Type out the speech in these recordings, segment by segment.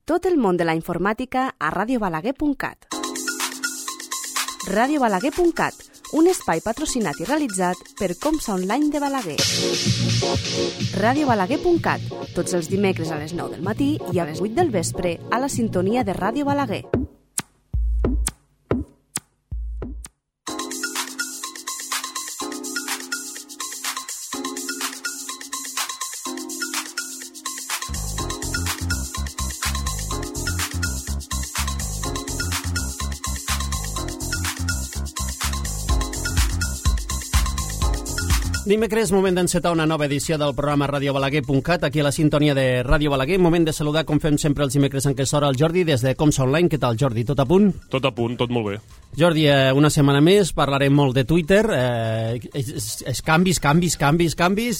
Tot el món de la informàtica a radiobalaguer.cat. radiobalaguer.cat, un espai patrocinat i realitzat per Comsa Online de Balaguer. radiobalaguer.cat, tots els dimecres a les 9 del matí i a les 8 del vespre a la sintonia de Ràdio Balaguer. Dimecres, moment d'encetar una nova edició del programa radiobalaguer.cat, aquí a la sintonia de Ràdio Balaguer. Moment de saludar, com fem sempre els dimecres en aquesta hora, el Jordi, des de Comsa Online. Què tal, Jordi? Tot a punt? Tot a punt, tot molt bé. Jordi, una setmana més, parlarem molt de Twitter, canvis,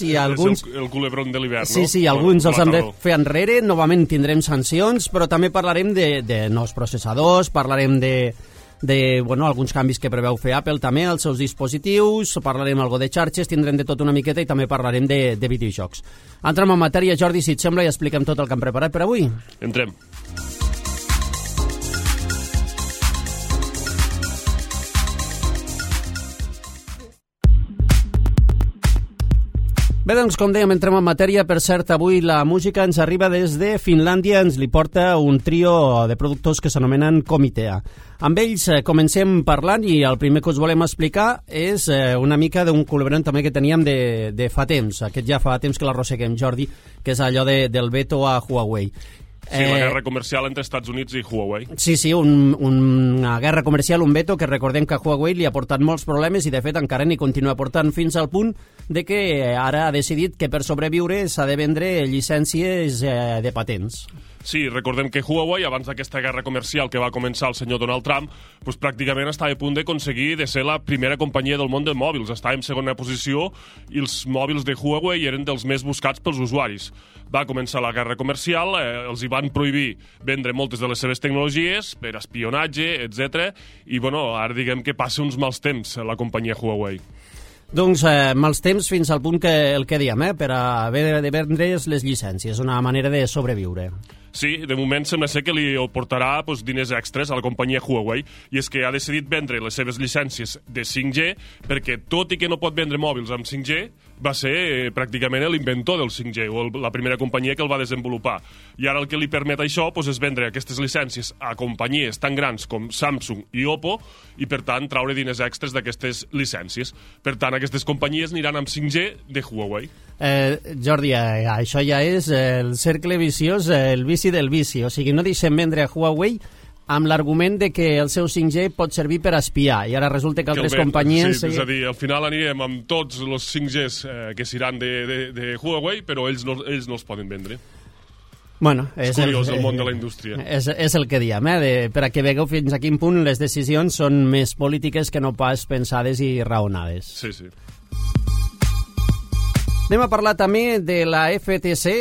i alguns... És el culebron de l'hivern, no? Sí, alguns els hem de fer enrere, novament tindrem sancions, però també parlarem de nous processadors, parlarem de alguns canvis que preveu fer Apple també als seus dispositius, parlarem algo de xarxes, tindrem de tot una miqueta i també parlarem de videojocs. Entrem en matèria, Jordi, si et sembla, i expliquem tot el que hem preparat per avui. Entrem. Bé, doncs, com dèiem, entrem en matèria. Per cert, avui la música ens arriba des de Finlàndia, ens li porta un trio de productors que s'anomenen Komitea. Amb ells comencem parlant i el primer que us volem explicar és una mica d'un col·laborant també que teníem de fa temps. Aquest ja fa temps que l'arrosseguem, Jordi, que és allò del veto a Huawei. Sí, la guerra comercial entre Estats Units i Huawei. Sí, una guerra comercial, un veto que recordem que a Huawei li ha portat molts problemes i de fet encara n'hi continua portant fins al punt de que ara ha decidit que per sobreviure s'ha de vendre llicències de patents. Sí, recordem que Huawei, abans d'aquesta guerra comercial que va començar el senyor Donald Trump, doncs pràcticament estava a punt d'aconseguir de ser la primera companyia del món de mòbils. Estava en segona posició i els mòbils de Huawei eren dels més buscats pels usuaris. Va començar la guerra comercial, els hi van prohibir vendre moltes de les seves tecnologies per espionatge, etc. I, ara diguem que passa uns mals temps la companyia Huawei. Doncs mals temps fins al punt que el que diem, per haver de vendre les llicències, una manera de sobreviure. Sí, de moment sembla ser que li portarà diners extras a la companyia Huawei, i és que ha decidit vendre les seves llicències de 5G perquè, tot i que no pot vendre mòbils amb 5G, va ser pràcticament l'inventor del 5G, o la primera companyia que el va desenvolupar. I ara el que li permet això és vendre aquestes llicències a companyies tan grans com Samsung i Oppo i, per tant, traure diners extras d'aquestes llicències. Per tant, aquestes companyies aniran amb 5G de Huawei. Jordi, això ja és el cercle viciós, el vici del vici. O sigui, no deixem vendre a Huawei amb l'argument de que el seu 5G pot servir per espiar, i ara resulta que altres companyies... Sí, és a dir, al final anirem amb tots els 5Gs que seran de Huawei, però ells no els poden vendre. Bueno, és curiós el món de la indústria. És el que diem, per a que vegeu fins a quin punt les decisions són més polítiques que no pas pensades i raonades. Sí, sí. Anem a parlar també de la FTC,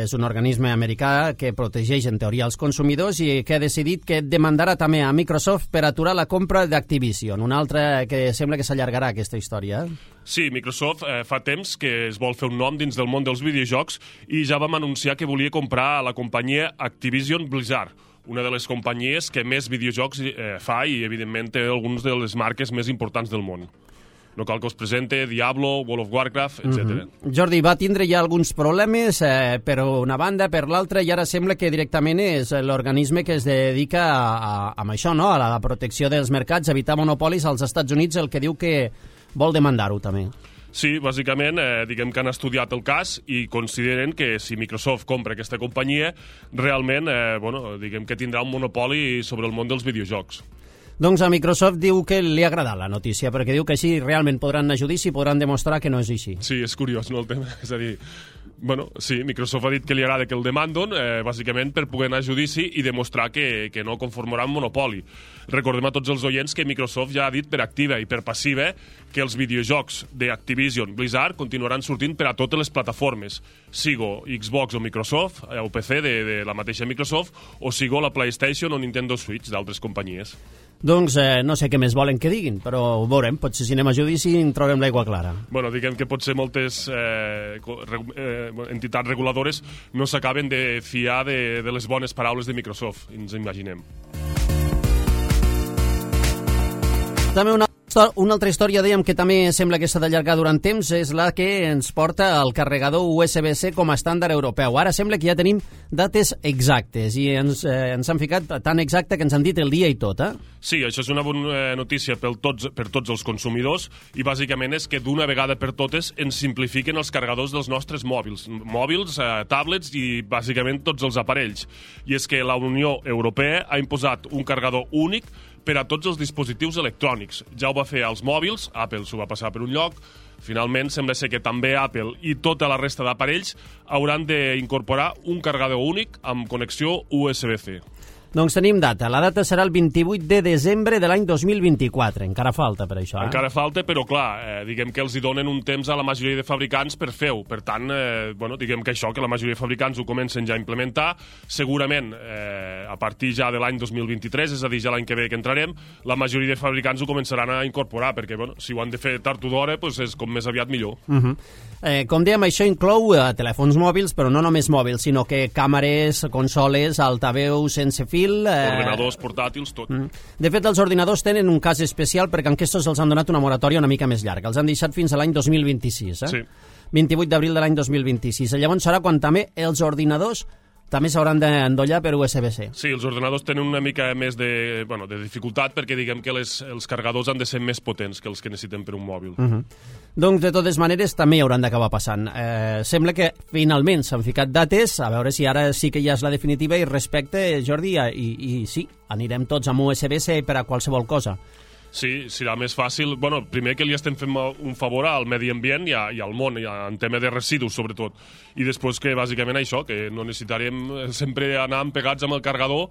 és un organisme americà que protegeix en teoria els consumidors i que ha decidit que demandarà també a Microsoft per aturar la compra d'Activision, una altra que sembla que s'allargarà aquesta història. Sí, Microsoft fa temps que es vol fer un nom dins del món dels videojocs i ja vam anunciar que volia comprar la companyia Activision Blizzard, una de les companyies que més videojocs fa i, evidentment, té algunes de les marques més importants del món. No cal que us presente Diablo, World of Warcraft, etc. Jordi, va tindre ja alguns problemes per una banda, per l'altra, i ara sembla que directament és l'organisme que es dedica a això, no? A la protecció dels mercats, a evitar monopolis als Estats Units, el que diu que vol demandar-ho també. Sí, bàsicament, diguem que han estudiat el cas i consideren que si Microsoft compra aquesta companyia, realment, diguem que tindrà un monopoli sobre el món dels videojocs. Doncs a Microsoft diu que li ha agradat la notícia, perquè diu que així realment podran anar a judici i podran demostrar que no és així. Sí, és curiós, no, el tema? És a dir, sí, Microsoft ha dit que li agrada que el demanden, bàsicament per poder anar a judici i demostrar que no conformarà un monopoli. Recordem a tots els oients que Microsoft ja ha dit per activa i per passiva que els videojocs d'Activision Blizzard continuaran sortint per a totes les plataformes. sigo Xbox o Microsoft, o PC de la mateixa Microsoft, o sigo la PlayStation o Nintendo Switch d'altres companyies. Doncs no sé què més volen que diguin, però ho veurem, potser si anem a judici en trobem l'aigua clara. Bueno, diguem que potser moltes entitats reguladores no s'acaben de fiar de les bones paraules de Microsoft, ens imaginem. També una altra història, dèiem, que també sembla que s'ha d'allargar durant temps, és la que ens porta el carregador USB-C com a estàndard europeu. Ara sembla que ja tenim dates exactes i ens han ficat tan exacte que ens han dit el dia i tot, eh? Sí, això és una bona notícia per tots els consumidors i bàsicament és que d'una vegada per totes ens simplifiquen els carregadors dels nostres mòbils, tablets i bàsicament tots els aparells. I és que la Unió Europea ha imposat un carregador únic per a tots els dispositius electrònics. Ja ho va fer als mòbils, Apple s'ho va passar per un lloc, finalment sembla ser que també Apple i tota la resta d'aparells hauran d'incorporar un carregador únic amb connexió USB-C. Doncs tenim data. La data serà el 28 de desembre de l'any 2024. Encara falta per això, Encara falta, però clar, diguem que els hi donen un temps a la majoria de fabricants per fer-ho. Per tant, diguem que això, que la majoria de fabricants ho comencen ja a implementar, segurament a partir ja de l'any 2023, és a dir, ja l'any que ve que entrarem, la majoria de fabricants ho començaran a incorporar, perquè si ho han de fer tard o d'hora, és com més aviat millor. Com dèiem, això inclou telèfons mòbils, però no només mòbils, sinó que càmeres, consoles, altaveus sense fil, ordinadors, portàtils, tot. De fet, els ordinadors tenen un cas especial perquè en aquests els han donat una moratòria una mica més llarga. Els han deixat fins a l'any 2026, Sí. 28 d'abril de l'any 2026. Llavors serà quan també els ordinadors també s'hauran d'endollar per USB-C. Sí, els ordinadors tenen una mica més de dificultat perquè diguem que els carregadors han de ser més potents que els que necessitem per un mòbil. Doncs, de totes maneres, també hi hauran d'acabar passant. Sembla que finalment s'han ficat dates, a veure si ara sí que ja és la definitiva, i respecte, Jordi, i sí, anirem tots amb USB-C per a qualsevol cosa. Sí, serà més fàcil. Primer que li estem fent un favor al medi ambient i al món, en tema de residus, sobretot. I després que, bàsicament, això, que no necessitarem sempre anar pegats amb el carregador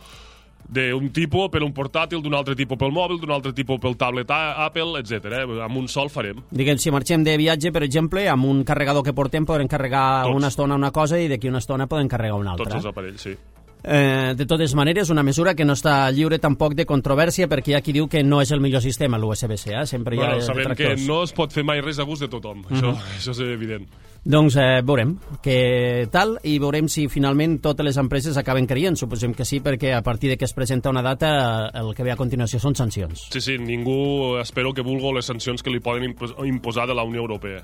d'un tipus per un portàtil, d'un altre tipus pel mòbil, d'un altre tipus pel tablet Apple, etc. Amb un sol farem. Diguem, si marxem de viatge, per exemple, amb un carregador que portem podrem carregar una estona una cosa i d'aquí una estona podem carregar una altra. Tots els aparells, sí. De totes maneres, una mesura que no està lliure tampoc de controvèrsia, perquè hi ha qui diu que no és el millor sistema, l'USB-C. Sempre hi ha sabem detractors. que no es pot fer mai res a gust de tothom. Això és evident. Doncs veurem què tal i veurem si finalment totes les empreses acaben creient. Suposem que sí, perquè a partir de que es presenta una data el que ve a continuació són sancions. Sí, ningú espero que vulgui les sancions que li poden imposar de la Unió Europea.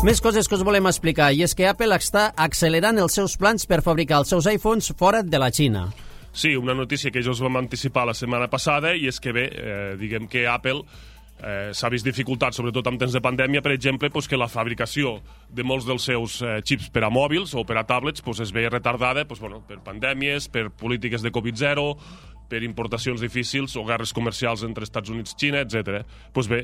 Més coses que us volem explicar, i és que Apple està accelerant els seus plans per fabricar els seus iPhones fora de la Xina. Sí, una notícia que ja us vam anticipar la setmana passada, i és que diguem que Apple s'ha vist dificultat, sobretot en temps de pandèmia, per exemple, que la fabricació de molts dels seus xips per a mòbils o per a tablets es veia retardada per pandèmies, per polítiques de Covid-0, per importacions difícils o guerres comercials entre Estats Units i Xina, etc.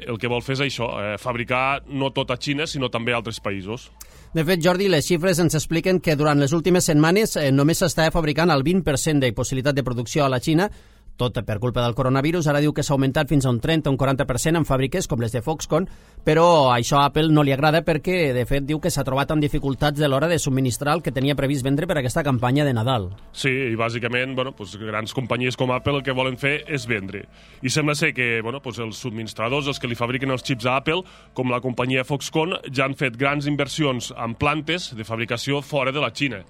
El que vol fer és això, fabricar no tot a Xina, sinó també a altres països. De fet, Jordi, les xifres ens expliquen que durant les últimes setmanes només s'estava fabricant el 20% de possibilitat de producció a la Xina, tot per culpa del coronavirus. Ara diu que s'ha augmentat fins a un 30 o un 40% en fàbriques com les de Foxconn, però això a Apple no li agrada perquè, de fet, diu que s'ha trobat amb dificultats a l'hora de subministrar el que tenia previst vendre per aquesta campanya de Nadal. Sí, i bàsicament, grans companyies com Apple el que volen fer és vendre. I sembla ser que, els subministradors, els que li fabriquen els xips a Apple, com la companyia Foxconn, ja han fet grans inversions en plantes de fabricació fora de la Xina.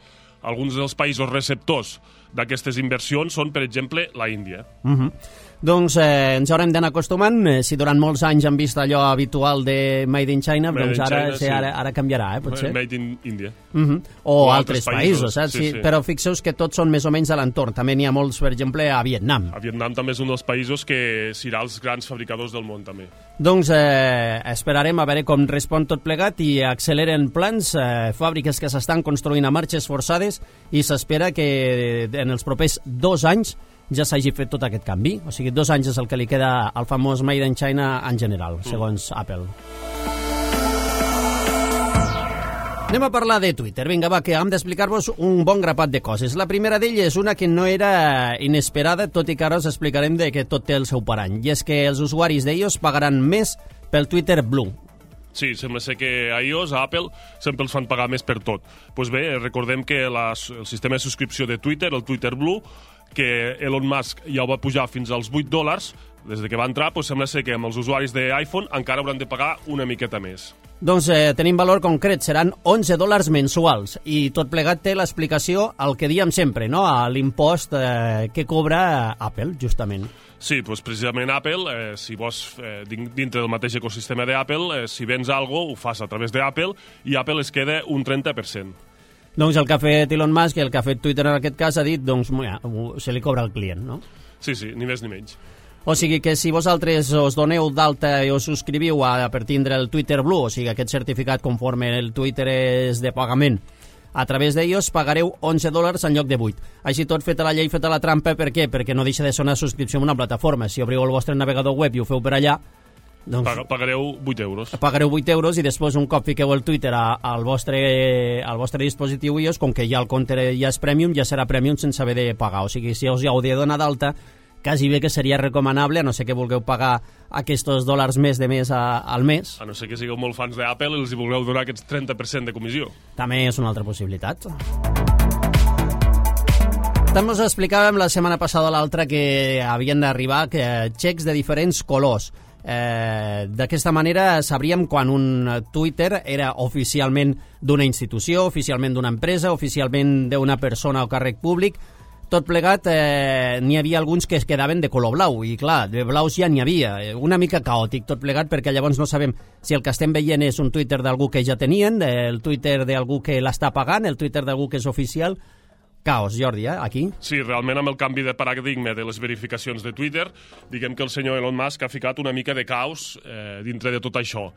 Alguns dels països receptors d'aquestes inversions són, per exemple, la Índia. Doncs ens haurem d'anar acostumant. Si durant molts anys han vist allò habitual de Made in China, doncs ara canviarà, potser. Made in India. O altres països, saps? Sí. Però fixeu-vos que tots són més o menys a l'entorn. També n'hi ha molts, per exemple, a Vietnam. A Vietnam també és un dels països que serà els grans fabricadors del món, també. Doncs esperarem a veure com respon tot plegat i acceleren plans, fàbriques que s'estan construint a marxes forçades, i s'espera que en els propers 2 anys ja s'hagi fet tot aquest canvi. O sigui, 2 anys és el que li queda al famós Made in China en general, segons Apple. Anem a parlar de Twitter. Vinga, va, que hem d'explicar-vos un bon grapat de coses. La primera d'elles és una que no era inesperada, tot i que ara us explicarem que tot té el seu parany. I és que els usuaris d'ells pagaran més pel Twitter Blue. Sí, sembla ser que a iOS, a Apple, sempre els fan pagar més per tot. Doncs bé, recordem que el sistema de subscripció de Twitter, el Twitter Blue, que Elon Musk ja ho va pujar fins als $8, des que va entrar, doncs sembla ser que amb els usuaris d'iPhone encara hauran de pagar una miqueta més. Doncs tenim valor concret, seran $11 mensuals, i tot plegat té l'explicació al que diem sempre, no? A l'impost que cobra Apple, justament. Sí, doncs precisament Apple, si vols dintre del mateix ecosistema d'Apple, si vens alguna cosa, ho fas a través d'Apple i Apple es queda un 30%. Doncs el que ha fet Elon Musk i el que ha fet Twitter en aquest cas ha dit, doncs, se li cobra al client, no? Sí, ni més ni menys. O sigui que si vosaltres us doneu d'alta i us subscriviu per tindre el Twitter Blue, o sigui aquest certificat conforme el Twitter és de pagament, a través d'ells pagareu $11 en lloc de 8. Així tot, feta la llei, feta la trampa, per què? Perquè no deixa de ser una subscripció a una plataforma. Si obriu el vostre navegador web i ho feu per allà, doncs pagareu €8. Pagareu €8 i després un cop fiqueu el Twitter al vostre dispositiu iOS, com que ja el compte ja és premium, ja serà premium sense haver de pagar. O sigui, si us ja heu de donar d'alta, quasi bé que seria recomanable, a no ser que vulgueu pagar aquests $2 més de mes al mes. A no ser que sigueu molt fans d'Apple i els hi vulgueu donar aquests 30% de comissió. També és una altra possibilitat. També us explicàvem la setmana passada o l'altra que havien d'arribar xecs de diferents colors. D'aquesta manera sabríem quan un Twitter era oficialment d'una institució, oficialment d'una empresa, oficialment d'una persona o càrrec públic. Tot plegat, n'hi havia alguns que es quedaven de color blau, i clar, de blaus ja n'hi havia. Una mica caòtic tot plegat, perquè llavors no sabem si el que estem veient és un Twitter d'algú que ja tenien, el Twitter d'algú que l'està pagant, el Twitter d'algú que és oficial. Caos, Jordi, aquí? Sí, realment amb el canvi de paradigma de les verificacions de Twitter, diguem que el senyor Elon Musk ha ficat una mica de caos dintre de tot això.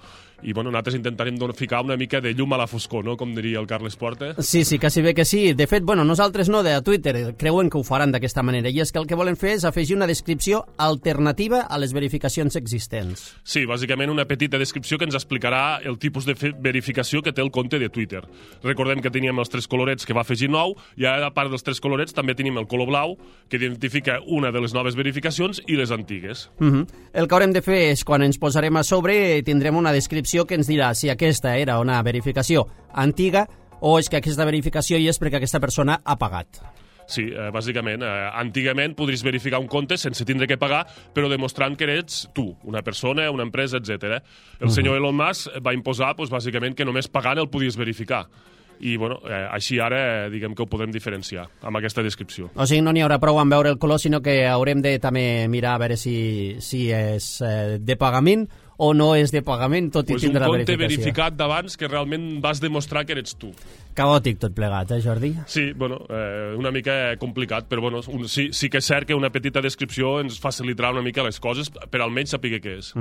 I bueno, nosaltres intentarem ficar una mica de llum a la foscor, no? Com diria el Carles Porta. Sí, quasi bé que sí. De fet, nosaltres no, de Twitter, creuen que ho faran d'aquesta manera, i és que el que volen fer és afegir una descripció alternativa a les verificacions existents. Sí, bàsicament una petita descripció que ens explicarà el tipus de verificació que té el compte de Twitter. Recordem que teníem els 3 colorets que va afegir nou, i ara, a part dels 3 colorets, també tenim el color blau, que identifica una de les noves verificacions i les antigues. El que haurem de fer és, quan ens posarem a sobre, tindrem una descripció que ens dirà si aquesta era una verificació antiga o és que aquesta verificació hi és perquè aquesta persona ha pagat. Sí, bàsicament, antigament podries verificar un compte sense tindre que pagar, però demostrant que eres tu, una persona, una empresa, etc. El senyor Elon Musk va imposar, bàsicament, que només pagant el podies verificar. I bueno, així ara diguem que ho podem diferenciar amb aquesta descripció. O sigui, no n'hi haurà prou en veure el color, sinó que haurem de també mirar a veure si és de pagament o no és de pagament, tot i tindre la verificació. Un compte verificat d'abans que realment vas demostrar que eres tu. Caòtic tot plegat, Jordi? Sí, bueno, una mica complicat, però bueno, sí que és cert que una petita descripció ens facilitarà una mica les coses per almenys saber què és.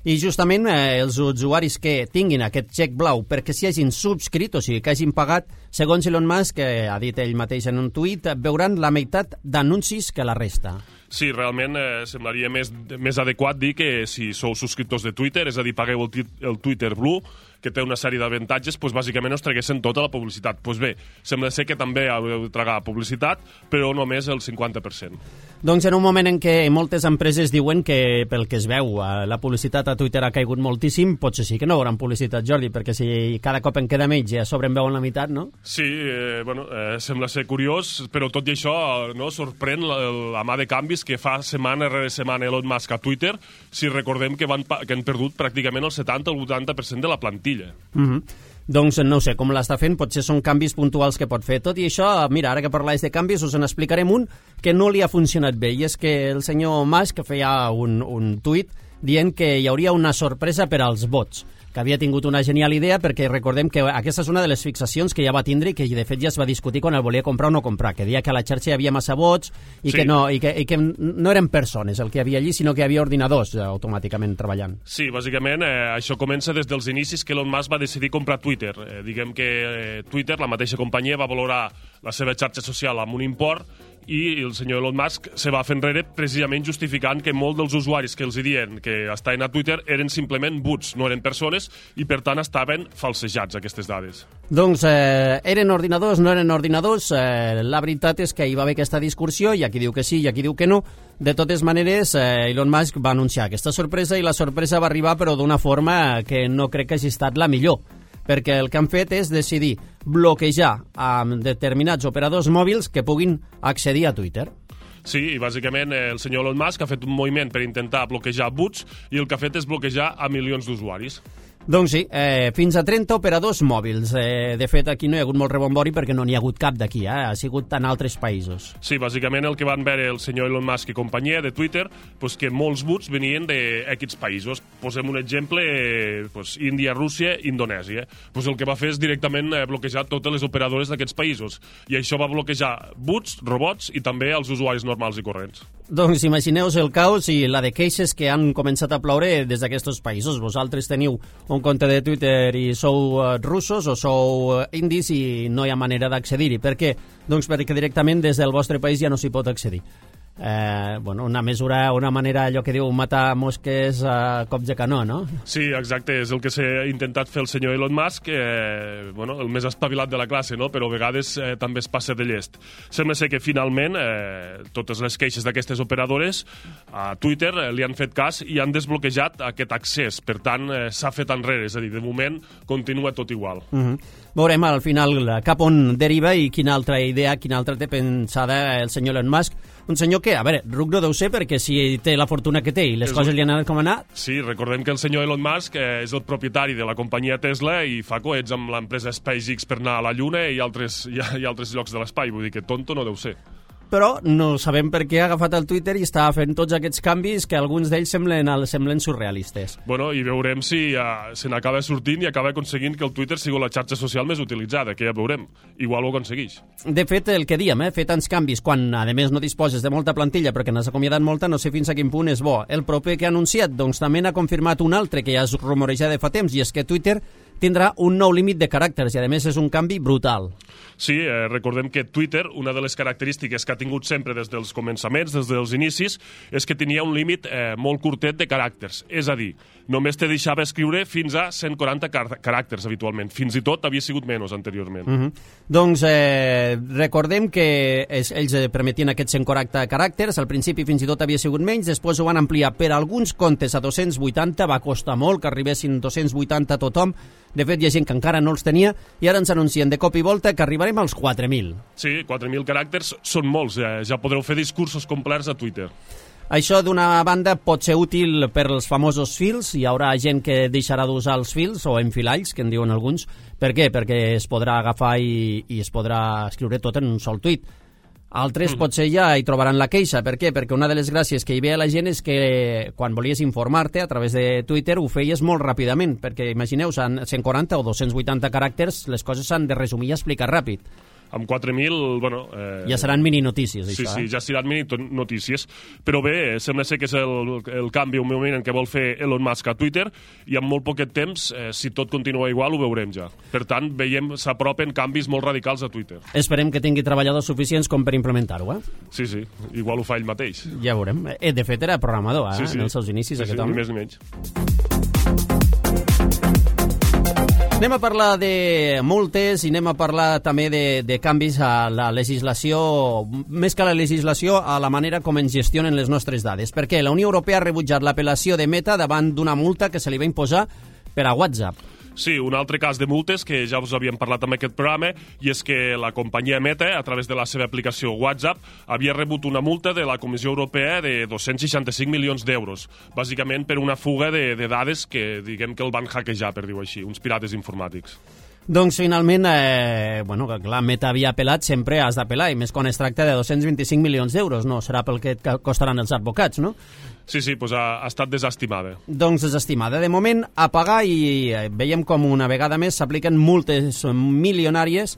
I justament els usuaris que tinguin aquest xec blau perquè s'hi hagin subscrit, o sigui, que hagin pagat, segons Elon Musk, que ha dit ell mateix en un tuit, veuran la meitat d'anuncis que la resta. Sí, realment semblaria més adequat dir que si sou subscriptors de Twitter, és a dir, pagueu el Twitter Blue, que té una sèrie d'avantatges, doncs bàsicament us traguessin tota la publicitat. Doncs bé, sembla ser que també heu de tragar publicitat, però només el 50%. Doncs en un moment en què moltes empreses diuen que, pel que es veu, la publicitat a Twitter ha caigut moltíssim, potser sí que no hauran publicitat, Jordi, perquè si cada cop en queda menys i a sobre en veuen la meitat, no? Sí, sembla ser curiós, però tot i això no sorprèn la mà de canvis que fa setmana rere setmana Elon Musk a Twitter, si recordem que han perdut pràcticament el 70 o el 80% de la plantilla. Doncs no sé com l'està fent, potser són canvis puntuals que pot fer. Tot i això, mira, ara que parlàs de canvis, us en explicarem un que no li ha funcionat bé, i és que el senyor Musk feia un tuit dient que hi hauria una sorpresa per als bots, que havia tingut una genial idea, perquè recordem que aquesta és una de les fixacions que ja va tindre i que de fet ja es va discutir quan el volia comprar o no comprar, que deia que a la xarxa hi havia massa bots i, sí, que no eren persones el que hi havia allí, sinó que hi havia ordinadors automàticament treballant. Sí, bàsicament això comença des dels inicis que Elon Musk va decidir comprar Twitter. Diguem que Twitter, la mateixa companyia, va valorar la seva xarxa social amb un import i el senyor Elon Musk se va fer enrere precisament justificant que molts dels usuaris que els diuen que estaven a Twitter eren simplement bots, no eren persones, i per tant estaven falsejats aquestes dades. Doncs eren ordinadors, no eren ordinadors, la veritat és que hi va haver aquesta discussió, hi ha qui diu que sí, hi ha qui diu que no. De totes maneres, Elon Musk va anunciar aquesta sorpresa i la sorpresa va arribar però d'una forma que no crec que hagi estat la millor, perquè el que han fet és decidir bloquejar amb determinats operadors mòbils que puguin accedir a Twitter. Sí, i bàsicament el senyor Elon Musk ha fet un moviment per intentar bloquejar bots i el que ha fet és bloquejar a milions d'usuaris. Doncs sí, fins a 30 operadors mòbils. De fet, aquí no hi ha hagut molt rebombori perquè no n'hi ha hagut cap d'aquí, ha sigut en altres països. Sí, bàsicament el que van veure el senyor Elon Musk i companyia de Twitter, pues que molts bots venien d'aquests països. Posem un exemple, Índia, Rússia, Indonèsia. Pues el que va fer és directament bloquejar totes les operadores d'aquests països. I això va bloquejar bots, robots i també els usuaris normals i corrents. Doncs imagineu-vos el caos i la de queixes que han començat a ploure des d'aquests països. Vosaltres teniu un compte de Twitter i sou russos o sou indis i no hi ha manera d'accedir-hi. Per què? Doncs perquè directament des del vostre país ja no s'hi pot accedir. Una mesura, una manera, allò que diu matar mosques a cops de canó, no? Sí, exacte, és el que s'ha intentat fer el senyor Elon Musk, el més espavilat de la classe, no? Però a vegades també es passa de llest. Sembla ser que finalment totes les queixes d'aquestes operadores a Twitter li han fet cas i han desbloquejat aquest accés, per tant s'ha fet enrere, és a dir, de moment continua tot igual. Veurem al final cap on deriva i quina altra idea, quina altra té pensada el senyor Elon Musk. Un senyor que, a veure, ruc no deu ser perquè si té la fortuna que té i les coses li han anat com han anat... Sí, recordem que el senyor Elon Musk és el propietari de la companyia Tesla i fa coets amb l'empresa SpaceX per anar a la Lluna i altres llocs de l'espai, vull dir que tonto no deu ser. Però no sabem per què ha agafat el Twitter i està fent tots aquests canvis que alguns d'ells semblen surrealistes. Bueno, i veurem si se n'acaba sortint i acaba aconseguint que el Twitter sigui la xarxa social més utilitzada, que ja veurem. Igual ho aconsegueix. De fet, el que diem, fer tants canvis quan, a més, no disposes de molta plantilla perquè n'has acomiadat molta, no sé fins a quin punt és bo. El proper que ha anunciat, doncs també n'ha confirmat un altre que ja es rumoreja de fa temps, i és que Twitter tindrà un nou límit de caràcters i, a més, és un canvi brutal. Sí, recordem que Twitter, una de les característiques que ha tingut sempre des dels començaments, des dels inicis, és que tenia un límit molt curtet de caràcters. És a dir, només te deixava escriure fins a 140 caràcters habitualment. Fins i tot havia sigut menys anteriorment. Doncs recordem que ells permetien aquests 140 caràcters. Al principi fins i tot havia sigut menys, després ho van ampliar per alguns comptes a 280, va costar molt que arribessin 280 a tothom. De fet, hi ha gent que encara no els tenia i ara ens anuncien de cop i volta que arribarem als 4.000. Sí, 4.000 caràcters són molts. Ja podreu fer discursos complets a Twitter. Això, d'una banda, pot ser útil per als famosos fils. Hi haurà gent que deixarà d'usar els fils, o enfilalls, que en diuen alguns. Per què? Perquè es podrà agafar i es podrà escriure tot en un sol tuit. Altres potser ja hi trobaran la queixa. Per què? Perquè una de les gràcies que hi ve a la gent és que quan volies informar-te a través de Twitter ho feies molt ràpidament, perquè imagineu, en 140 o 280 caràcters les coses s'han de resumir i explicar ràpid. Amb 4.000, ja seran mini-notícies, això. Sí, ja seran mini-notícies. Però bé, sembla ser que és el canvi, un moment en què vol fer Elon Musk a Twitter, i en molt poquet temps, si tot continua igual, ho veurem ja. Per tant, s'apropen canvis molt radicals a Twitter. Esperem que tingui treballadors suficients com per implementar-ho, Sí, igual ho fa ell mateix. Ja veurem. De fet, era programador, en els seus inicis, aquest home. Ni més ni menys. Anem a parlar de multes i anem a parlar també de canvis a la legislació, més que a la legislació, a la manera com ens gestionen les nostres dades. Perquè la Unió Europea ha rebutjat l'apel·lació de Meta davant d'una multa que se li va imposar per a WhatsApp. Sí, un altre cas de multes que ja us havíem parlat en aquest programa, i és que la companyia Meta, a través de la seva aplicació WhatsApp, havia rebut una multa de la Comissió Europea de 265 milions d'euros, bàsicament per una fuga de dades que diguem que el van hackejar, per dir-ho així, uns pirates informàtics. Doncs finalment, clar, Meta havia apel·lat, sempre has d'apel·lar, i més quan es tracta de 225 milions d'euros, no? Serà pel que costaran els advocats, no? Sí, doncs ha estat desestimada. Doncs desestimada. De moment, a pagar, i veiem com una vegada més s'apliquen multes milionàries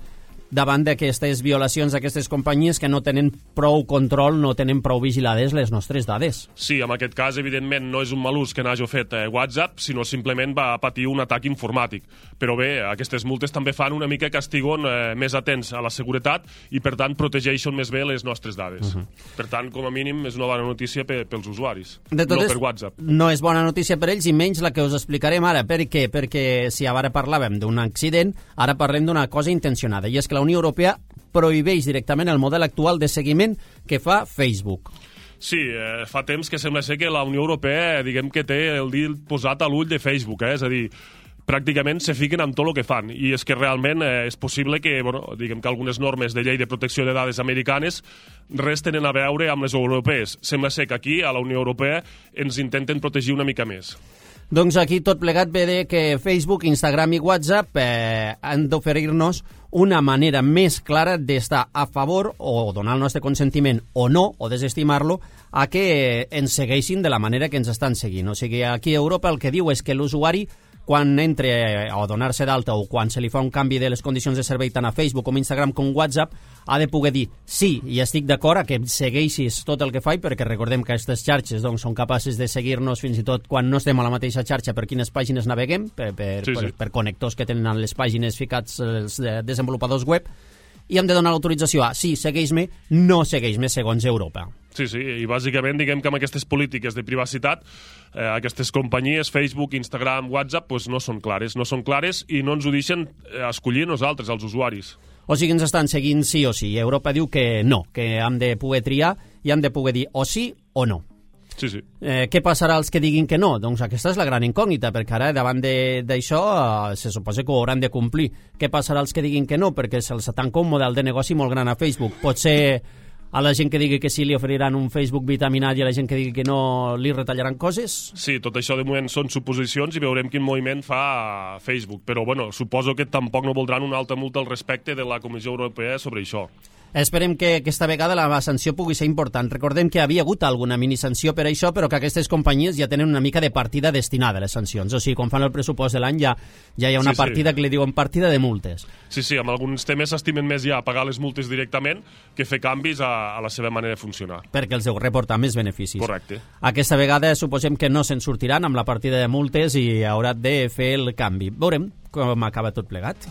davant d'aquestes violacions d'aquestes companyies que no tenen prou control, no tenen prou vigilades les nostres dades. Sí, en aquest cas, evidentment, no és un mal ús que n'hagi fet WhatsApp, sinó simplement va patir un atac informàtic. Però bé, aquestes multes també fan una mica que estiguin més atents a la seguretat i, per tant, protegeixen més bé les nostres dades. Per tant, com a mínim, és una bona notícia pels usuaris, no per WhatsApp. No és bona notícia per ells i menys la que us explicarem ara. Per què? Perquè si ara parlàvem d'un accident, ara parlem d'una cosa intencionada, i és que la Unió Europea prohibeix directament el model actual de seguiment que fa Facebook. Sí, fa temps que sembla ser que la Unió Europea, diguem que té el dit posat a l'ull de Facebook, és a dir, pràcticament se fiquen amb tot el que fan, i és que realment és possible que, diguem que algunes normes de llei de protecció de dades americanes res tenen a veure amb les europees. Sembla ser que aquí, a la Unió Europea, ens intenten protegir una mica més. Doncs aquí tot plegat ve de que Facebook, Instagram i WhatsApp han d'oferir-nos una manera més clara d'estar a favor o donar el nostre consentiment o no, o desestimar-lo, a que ens segueixin de la manera que ens estan seguint. O sigui, aquí a Europa el que diu és que l'usuari, quan entre a donar-se d'alta o quan se li fa un canvi de les condicions de servei tant a Facebook com Instagram com WhatsApp, ha de poder dir sí, i estic d'acord a que segueixis tot el que faig, perquè recordem que aquestes xarxes són capaces de seguir-nos fins i tot quan no estem a la mateixa xarxa per quines pàgines naveguem, per connectors que tenen les pàgines ficats els desenvolupadors web, i hem de donar l'autorització a sí, segueix-me, no segueix-me segons Europa. Sí, i bàsicament diguem que amb aquestes polítiques de privacitat aquestes companyies, Facebook, Instagram, WhatsApp, no són clares i no ens ho deixen escollir nosaltres, els usuaris. O sigui, ens estan seguint sí o sí. Europa diu que no, que hem de poder triar i hem de poder dir o sí o no. Sí. Què passarà als que diguin que no? Doncs aquesta és la gran incògnita, perquè ara davant d'això se suposa que ho hauran de complir. Què passarà als que diguin que no? Perquè se'ls tanca un model de negoci molt gran a Facebook. Potser a la gent que digui que sí li oferiran un Facebook vitaminat i a la gent que digui que no li retallaran coses? Sí, tot això de moment són suposicions i veurem quin moviment fa Facebook. Però, suposo que tampoc no voldran una alta multa al respecte de la Comissió Europea sobre això. Esperem que aquesta vegada la sanció pugui ser important. Recordem que havia hagut alguna minisanció per això, però que aquestes companyies ja tenen una mica de partida destinada a les sancions. O sigui, quan fan el pressupost de l'any ja hi ha una partida que li diuen partida de multes. Sí, amb alguns temes s'estimen més ja pagar les multes directament que fer canvis a la seva manera de funcionar. Perquè els deu reportar més beneficis. Correcte. Aquesta vegada suposem que no se'n sortiran amb la partida de multes i haurà de fer el canvi. Veurem com acaba tot plegat.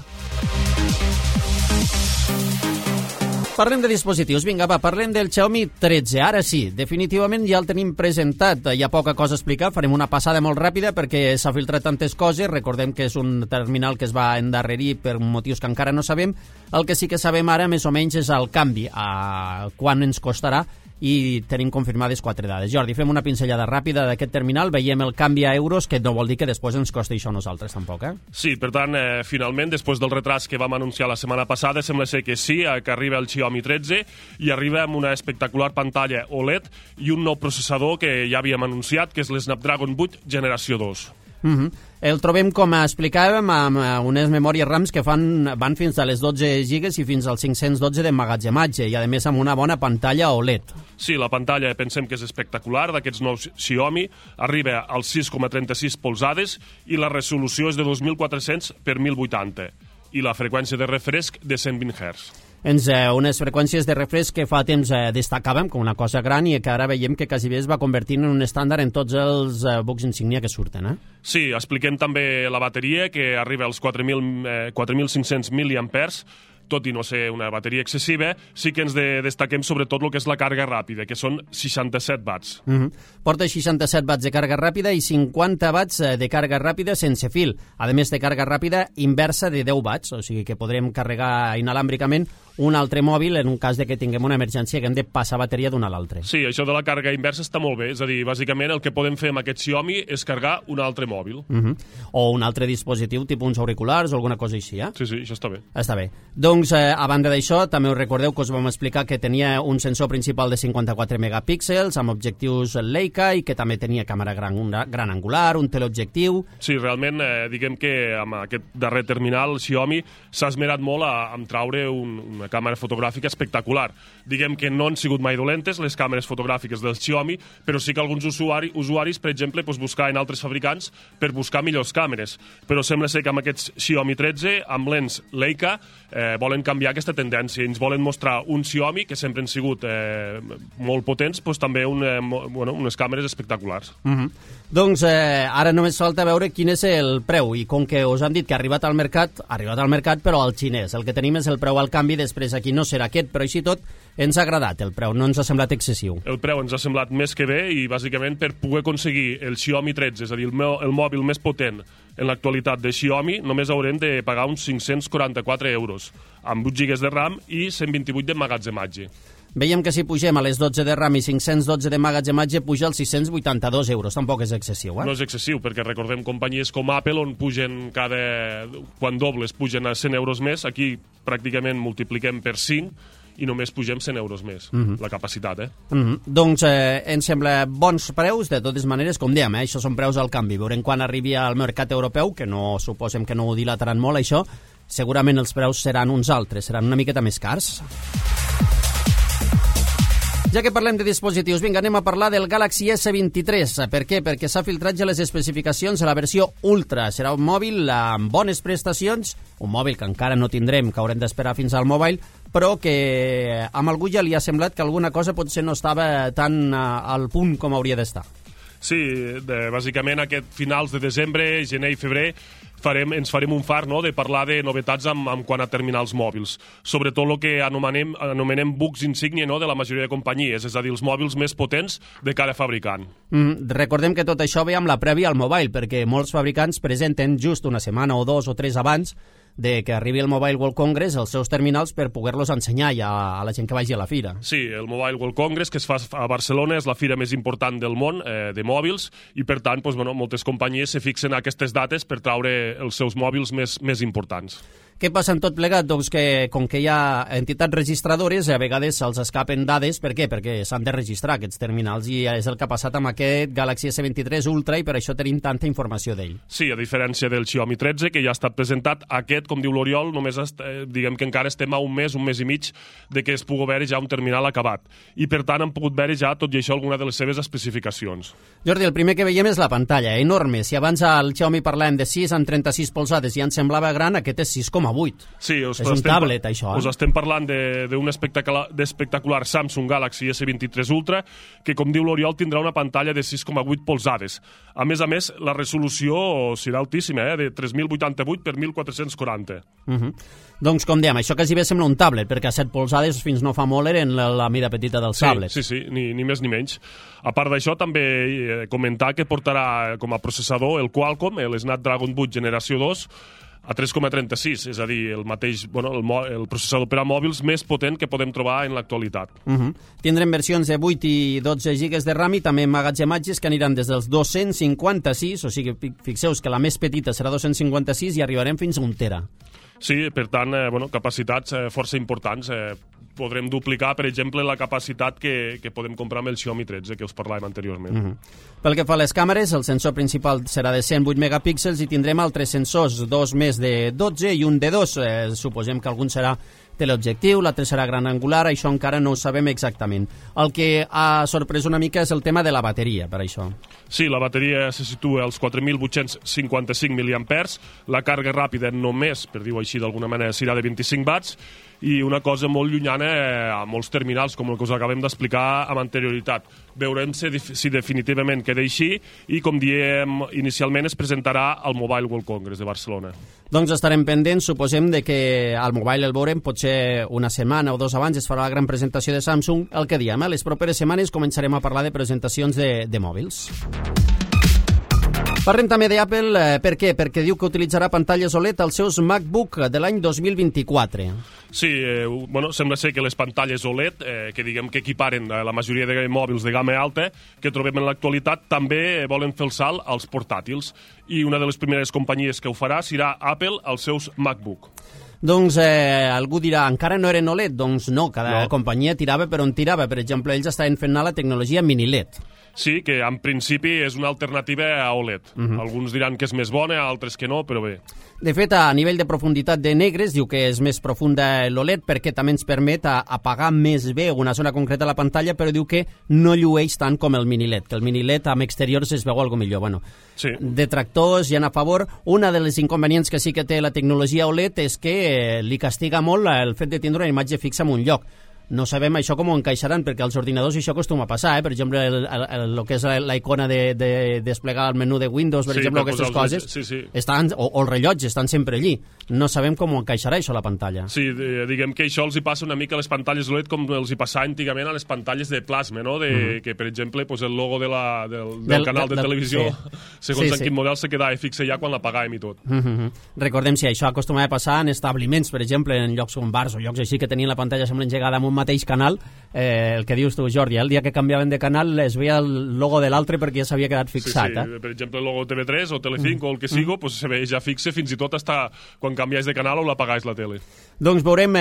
Parlem de dispositius. Vinga, parlem del Xiaomi 13. Ara sí, definitivament ja el tenim presentat. Hi ha poca cosa a explicar, farem una passada molt ràpida perquè s'ha filtrat tantes coses. Recordem que és un terminal que es va endarrerir per motius que encara no sabem. El que sí que sabem ara, més o menys, és el canvi, a quant ens costarà, i tenim confirmades 4 dades. Jordi, fem una pinzellada ràpida d'aquest terminal, veiem el canvi a euros, que no vol dir que després ens costi això a nosaltres tampoc, Sí, per tant, finalment, després del retras que vam anunciar la setmana passada, sembla ser que sí, que arriba el Xiaomi 13 i arriba amb una espectacular pantalla OLED i un nou processador que ja havíem anunciat, que és l'Snapdragon 8 generació 2. El trobem, com explicàvem, amb unes memòries RAMs que van fins a les 12 gigas i fins als 512 d'emmagatzematge i, a més, amb una bona pantalla OLED. Sí, la pantalla pensem que és espectacular, d'aquests nous Xiaomi, arriba als 6,36 polzades i la resolució és de 2400 per 1080 i la freqüència de refresc de 120 Hz. Unes freqüències de refresc que fa temps destacàvem com una cosa gran i que ara veiem que quasi bé es va convertint en un estàndard en tots els bucs insígnia que surten. Sí, expliquem també la bateria, que arriba als 4.500 mAh, tot i no ser una bateria excessiva, sí que ens destaquem sobretot el que és la càrrega ràpida, que són 67 watts. Porta 67 watts de càrrega ràpida i 50 watts de càrrega ràpida sense fil. A més de càrrega ràpida inversa de 10 watts, o sigui que podrem carregar inalàmbricament un altre mòbil en un cas de que tinguem una emergència que hem de passar bateria d'un a l'altre. Sí, això de la càrrega inversa està molt bé, és a dir, bàsicament el que podem fer amb aquest Xiaomi és carregar un altre mòbil. O un altre dispositiu, tipus uns auriculars o alguna cosa així, Sí, això està bé. Està bé. Doncs, a banda d'això, també us recordeu que us vam explicar que tenia un sensor principal de 54 megapíxels amb objectius Leica i que també tenia càmera gran angular, un teleobjectiu. Sí, realment, diguem que amb aquest darrer terminal, Xiaomi s'ha esmerat molt a traure una una càmera fotogràfica espectacular. Diguem que no han sigut mai dolentes les càmeres fotogràfiques del Xiaomi, però sí que alguns usuaris, per exemple, buscaven altres fabricants per buscar millors càmeres. Però sembla ser que amb aquests Xiaomi 13, amb lents Leica, volen canviar aquesta tendència. Ens volen mostrar un Xiaomi que sempre han sigut molt potents, també unes càmeres espectaculars. Doncs ara només falta veure quin és el preu, i com que us han dit que ha arribat al mercat, però al xinès. El que tenim és el preu al canvi, després aquí no serà aquest, però així tot ens ha agradat el preu, no ens ha semblat excessiu. El preu ens ha semblat més que bé, i bàsicament per poder aconseguir el Xiaomi 13, és a dir, el mòbil més potent en l'actualitat de Xiaomi, només haurem de pagar uns 544 euros, amb 8 GB de RAM i 128 d'emmagatzematge. Veiem que si pugem a les 12 de RAM i 512 d'emmagatzematge puja als 682 euros. Tampoc és excessiu, No és excessiu, perquè recordem companyies com Apple, on pugen quan dobles pugen a 100 euros més. Aquí pràcticament multipliquem per 5 i només pugem 100 euros més, la capacitat, Doncs ens sembla bons preus, de totes maneres, com dèiem, això són preus al canvi. Veurem quan arribi al mercat europeu, que no suposem que no ho dilataran molt, això, segurament els preus seran uns altres, seran una miqueta més cars. Ja que parlem de dispositius, vinga, anem a parlar del Galaxy S23. Per què? Perquè s'ha filtrat ja les especificacions de la versió Ultra. Serà un mòbil amb bones prestacions, un mòbil que encara no tindrem, que haurem d'esperar fins al mobile, però que amb algú ja li ha semblat que alguna cosa potser no estava tan al punt com hauria d'estar. Sí, bàsicament aquest finals de desembre, gener i febrer, ens farem un far de parlar de novetats en quant a terminals mòbils. Sobretot el que anomenem bucs insígnia de la majoria de companyies, és a dir, els mòbils més potents de cada fabricant. Recordem que tot això ve amb la prèvia al mobile, perquè molts fabricants presenten just una setmana o 2 o 3 abans de que arribi el Mobile World Congress els seus terminals per poder-los ensenyar ja a la gent que vagi a la fira. Sí, el Mobile World Congress, que es fa a Barcelona, és la fira més important del món de mòbils, i per tant moltes companyies se fixen a aquestes dates per traure els seus mòbils més importants. Què passa en tot plegat? Doncs que, com que hi ha entitats registradores, a vegades se'ls escapen dades. Per què? Perquè s'han de registrar aquests terminals, i és el que ha passat amb aquest Galaxy S23 Ultra, i per això tenim tanta informació d'ell. Sí, a diferència del Xiaomi 13, que ja ha estat presentat, aquest, com diu l'Oriol, només diguem que encara estem a un mes i mig de que es pugui veure ja un terminal acabat. I per tant han pogut veure ja tot i això alguna de les seves especificacions. Jordi, el primer que veiem és la pantalla, enorme. Si abans al Xiaomi parlàvem de 6 amb 36 polzades i ens semblava gran, aquest és 6,8. Sí, és un tablet, això. Us estem parlant d'un espectacular Samsung Galaxy S23 Ultra, que, com diu l'Oriol, tindrà una pantalla de 6,8 polzades. A més, la resolució serà altíssima, de 3088 per 1440. Doncs, com dèiem, això quasi bé sembla un tablet, perquè a 7 polzades fins no fa molt eren la mida petita del tablet. Sí, ni més ni menys. A part d'això, també comentar que portarà com a processador el Qualcomm, el Snapdragon 8 generació 2, a 3,36, és a dir, el mateix, el processador per a mòbils més potent que podem trobar en l'actualitat. Tindrem versions de 8 i 12 GB de RAM i també emmagatzematges que aniran des dels 256, o sigui, fixeu-vos que la més petita serà 256 i arribarem fins a 1 tera. Sí, per tant, capacitats força importants. Podrem duplicar, per exemple, la capacitat que podem comprar amb el Xiaomi 13, que us parlàvem anteriorment. Pel que fa a les càmeres, el sensor principal serà de 108 megapíxels i tindrem altres sensors, 2 més de 12 i un de 2. Suposem que algun serà teleobjectiu, l'altre serà gran angular, això encara no ho sabem exactament. El que ha sorprès una mica és el tema de la bateria, per això. Sí, la bateria se situa als 4.855 mAh, la càrrega ràpida només, per dir-ho així d'alguna manera, serà de 25 watts, i una cosa molt llunyana a molts terminals, com el que us acabem d'explicar amb anterioritat. Veurem si definitivament queda així, i com diem inicialment es presentarà al Mobile World Congress de Barcelona. Doncs estarem pendents, suposem de que al mobile el veurem, potser una setmana o 2 abans es farà la gran presentació de Samsung. El que diem, les properes setmanes començarem a parlar de presentacions de mòbils. Parlem també d'Apple, per què? Perquè diu que utilitzarà pantalles OLED als seus MacBook de l'any 2024. Sí, sembla ser que les pantalles OLED, que diguem que equiparen la majoria de mòbils de gamma alta que trobem en l'actualitat, també volen fer el salt als portàtils. I una de les primeres companyies que ho farà serà Apple als seus MacBook. Doncs algú dirà, encara no eren OLED? Doncs no, cada companyia tirava per on tirava. Per exemple, ells estaven fent anar la tecnologia mini-LED. Sí, que en principi és una alternativa a OLED. Alguns diran que és més bona, altres que no, però bé. De fet, a nivell de profunditat de negres, diu que és més profunda l'OLED perquè també ens permet apagar més bé una zona concreta de la pantalla, però diu que no llueix tant com el mini-LED, que el mini-LED amb exteriors es veu algo millor. Bueno, sí. Detractors hi ha a favor. Una de les inconvenients que sí que té la tecnologia OLED és que li castiga molt el fet de tindre una imatge fixa en un lloc. No sabem això com ho encaixaran, perquè als ordinadors això acostuma a passar, Per exemple, el que és la icona de desplegar el menú de Windows, per exemple, aquestes coses, estan, o el rellotge, estan sempre allí. No sabem com ho encaixarà això a la pantalla. Sí, diguem que això els hi passa una mica a les pantalles OLED com els hi passava antigament a les pantalles de plasma, no? Que, per exemple, el logo del canal de televisió, segons en quin model, se quedava fixe ja quan l'apagàvem i tot. Recordem si això acostumava a passar en establiments, per exemple, en llocs com bars o llocs així que tenien la pantalla sembla engegada amb un mateix canal, el que dius tu, Jordi, el dia que canviaven de canal es veia el logo de l'altre perquè ja s'havia quedat fixat. Sí. Per exemple, el logo TV3 o Telecinco o el que sigui, pues se veia ja fixe fins i tot hasta quan canviais de canal o l'apagais la tele. Doncs veurem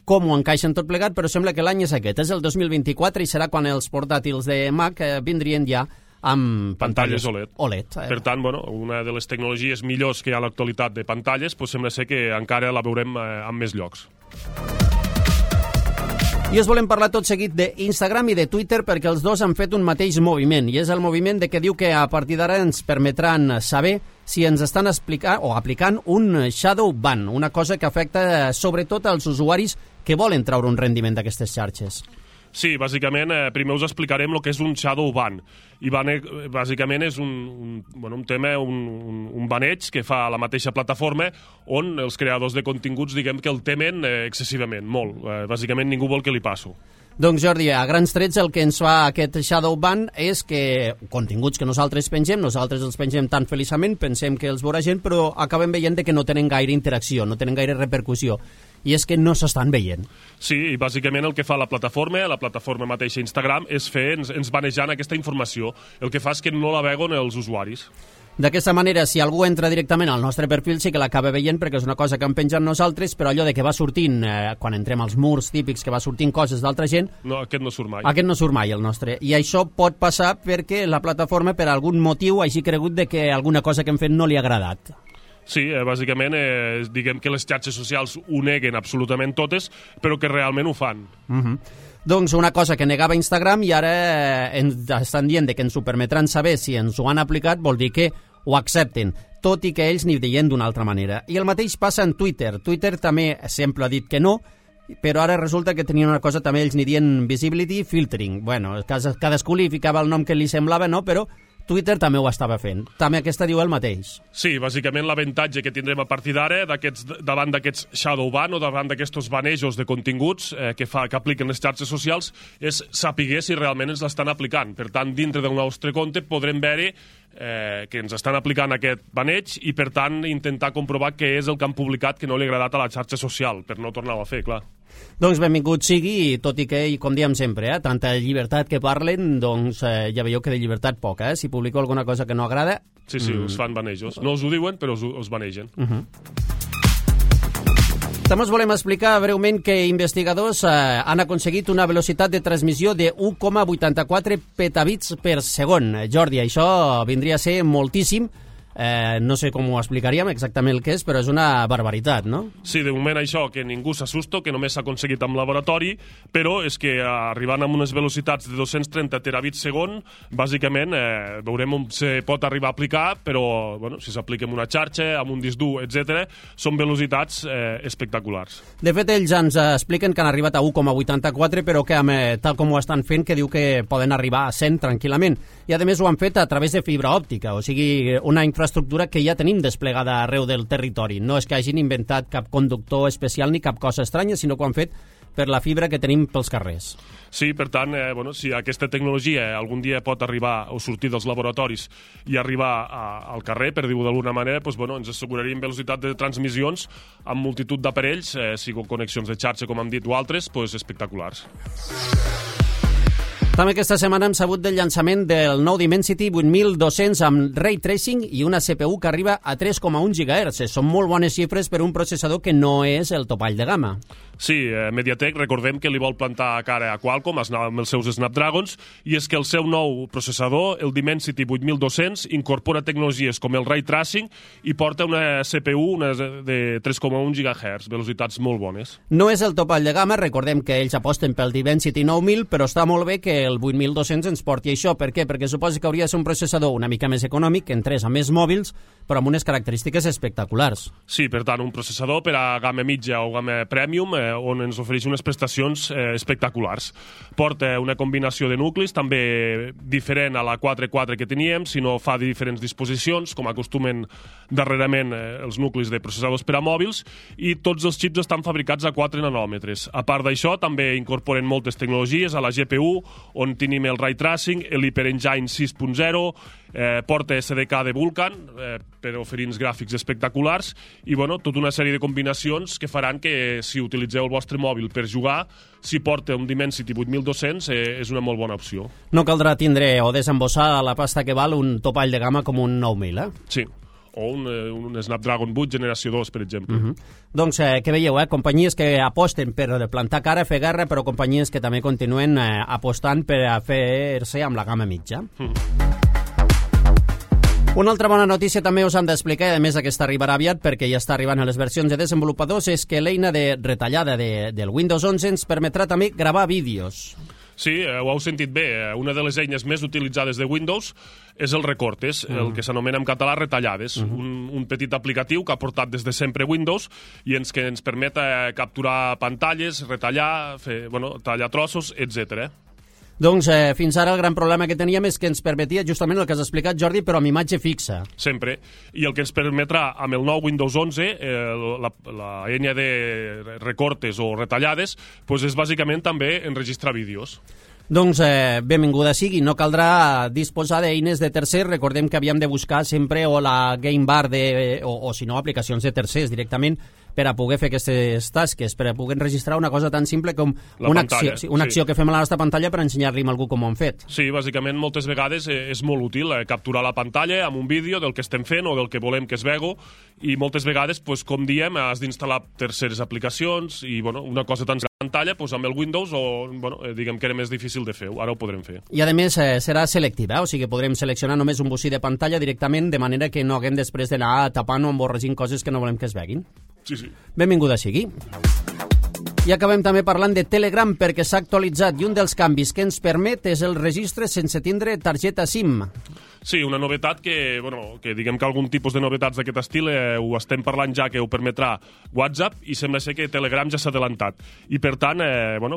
com ho encaixen tot plegat, però sembla que l'any és aquest, és el 2024 i serà quan els portàtils de Mac vindrien ja amb pantalles OLED. Per tant, una de les tecnologies millors que hi ha a l'actualitat de pantalles, sembla ser que encara la veurem en més llocs. I us volem parlar tot seguit d'Instagram i de Twitter perquè els dos han fet un mateix moviment, i és el moviment de que diu que a partir d'ara ens permetran saber si ens estan aplicant un shadow ban, una cosa que afecta sobretot als usuaris que volen treure un rendiment d'aquestes xarxes. Sí, bàsicament, primer us explicarem el que és un shadow ban. I bàsicament és un tema, un baneig que fa la mateixa plataforma on els creadors de continguts, diguem que el temen excessivament, molt. Bàsicament ningú vol que li passi. Doncs Jordi, a grans trets el que ens fa aquest shadow ban és que continguts que nosaltres els pengem tan feliçament, pensem que els veurà gent, però acabem veient que no tenen gaire interacció, no tenen gaire repercussió. I és que no s'estan veient. Sí, i bàsicament el que fa la plataforma mateixa Instagram, és ens banejant aquesta informació. El que fa és que no la veuen els usuaris. D'aquesta manera, si algú entra directament al nostre perfil, sí que l'acaba veient perquè és una cosa que hem penjat nosaltres, però allò de que va sortint, quan entrem als murs típics, que va sortint coses d'altra gent... No, aquest no surt mai. Aquest no surt mai, el nostre. I això pot passar perquè la plataforma, per algun motiu, hagi cregut de que alguna cosa que hem fet no li ha agradat. Sí, bàsicament, diguem que les xarxes socials ho neguen absolutament totes, però que realment ho fan. Doncs una cosa que negava Instagram i ara ens estan dient que ens ho permetran saber si ens ho han aplicat, vol dir que ho accepten, tot i que ells n'hi deien d'una altra manera. I el mateix passa en Twitter. Twitter també sempre ha dit que no, però ara resulta que tenien una cosa també, ells n'hi dient visibility filtering. Bueno, cadascú li ficava el nom que li semblava, no? Però Twitter també ho estava fent. També aquesta diu el mateix. Sí, bàsicament l'avantatge que tindrem a partir d'ara davant d'aquests shadow ban o davant d'aquests banejos de continguts que apliquen les xarxes socials és saber si realment ens l'estan aplicant. Per tant, dintre del nostre compte podrem veure que ens estan aplicant aquest baneig i, per tant, intentar comprovar què és el que han publicat que no li ha agradat a la xarxa social, per no tornar-ho a fer, clar. Doncs benvingut sigui, tot i que, com diem sempre, tanta llibertat que parlen, doncs ja veieu que de llibertat poca, Si publico alguna cosa que no agrada... Sí, us fan banejos. No us ho diuen, però us banegen. També us volem explicar breument que investigadors han aconseguit una velocitat de transmissió de 1,84 petabits per segon. Jordi, això vindria a ser moltíssim. No sé com ho explicaríem exactament el que és, però és una barbaritat, no? Sí, de moment això, que ningú s'assusta, que només s'ha aconseguit amb laboratori, però és que arribant amb unes velocitats de 230 terabits segon, bàsicament veurem on se pot arribar a aplicar, però si s'aplica en una xarxa, amb un disc dur, etc., són velocitats espectaculars. De fet, ells ens expliquen que han arribat a 1,84, però que tal com ho estan fent, que diu que poden arribar a 100 tranquil·lament. I a més ho han fet a través de fibra òptica, o sigui, una infraestructura que ja tenim desplegada arreu del territori. No és que hagin inventat cap conductor especial ni cap cosa estranya, sinó que ho han fet per la fibra que tenim pels carrers. Sí, per tant, si aquesta tecnologia algun dia pot arribar o sortir dels laboratoris i arribar al carrer, per dir-ho d'alguna manera, ens asseguraríem velocitat de transmissions amb multitud d'aparells, sigui connexions de xarxa, com hem dit, o altres, espectaculars. També aquesta setmana hem sabut del llançament del nou Dimensity 8200 amb Ray Tracing i una CPU que arriba a 3,1 GHz. Són molt bones xifres per un processador que no és el topall de gamma. Sí, Mediatek, recordem que li vol plantar cara a Qualcomm amb els seus Snapdragons, i és que el seu nou processador, el Dimensity 8200, incorpora tecnologies com el Ray Tracing i porta una CPU de 3,1 GHz, velocitats molt bones. No és el topall de gamma, recordem que ells aposten pel Dimensity 9000, però està molt bé que el 8200 ens porti això. Per què? Perquè suposa que hauria de ser un processador una mica més econòmic, que entrés a més mòbils, però amb unes característiques espectaculars. Sí, per tant, un processador per a gamma mitja o gamma premium, on ens ofereix unes prestacions espectaculars. Porta una combinació de nuclis, també diferent a la 4.4 que teníem, sinó fa diferents disposicions, com acostumen darrerament els nuclis de processadors per a mòbils, i tots els xips estan fabricats a 4 nanòmetres. A part d'això, també incorporen moltes tecnologies a la GPU, on tenim el Ray Tracing, l'Hyper-Engine 6.0, porta SDK de Vulkan per oferir-nos gràfics espectaculars i tota una sèrie de combinacions que faran que si utilitzeu el vostre mòbil per jugar, si porta un Dimensity 8200 és una molt bona opció. No caldrà tindre o desembossar a la pasta que val un topall de gamma com un 9000, Sí, o un Snapdragon 8 generació 2, per exemple. Doncs, que veieu, companyies que aposten per plantar cara, fer guerra, però companyies que també continuen apostant per a fer-se amb la gamma mitja. Una altra bona notícia també us hem d'explicar, i a més aquesta arribarà aviat perquè ja està arribant a les versions de desenvolupadors, és que l'eina de retallada del Windows 11 ens permetrà també gravar vídeos. Sí, ho heu sentit bé. Una de les eines més utilitzades de Windows és el Recortes, el que s'anomena en català retallades. Un petit aplicatiu que ha portat des de sempre Windows i que ens permet capturar pantalles, retallar, tallar trossos, etc. Doncs fins ara el gran problema que teníem és que ens permetia justament el que has explicat, Jordi, però amb imatge fixa. Sempre. I el que ens permetrà amb el nou Windows 11, la eina de recortes o retallades, és bàsicament també enregistrar vídeos. Doncs benvinguda sigui, no caldrà disposar d'eines de tercers, recordem que havíem de buscar sempre o la Game Bar o si no aplicacions de tercers directament per a poder fer aquestes tasques, per a poder enregistrar una cosa tan simple com una acció que fem a la nostra pantalla per ensenyar-li a algú com ho hem fet. Sí, bàsicament moltes vegades és molt útil capturar la pantalla amb un vídeo del que estem fent o del que volem que es vegi, i moltes vegades, com diem, has d'instal·lar terceres aplicacions i una cosa tan pantalla, amb el Windows diguem que era més difícil de fer, ara ho podrem fer. I a més serà selectiva, o sigui podrem seleccionar només un bocí de pantalla directament, de manera que no haguem després d'anar tapant o emborregint coses que no volem que es veguin. Sí, sí. Benvinguda sigui. I acabem també parlant de Telegram perquè s'ha actualitzat i un dels canvis que ens permet és el registre sense tindre targeta SIM. Sí, una novetat que diguem que algun tipus de novetats d'aquest estil ho estem parlant ja, que ho permetrà WhatsApp, i sembla ser que Telegram ja s'ha adelantat. I per tant,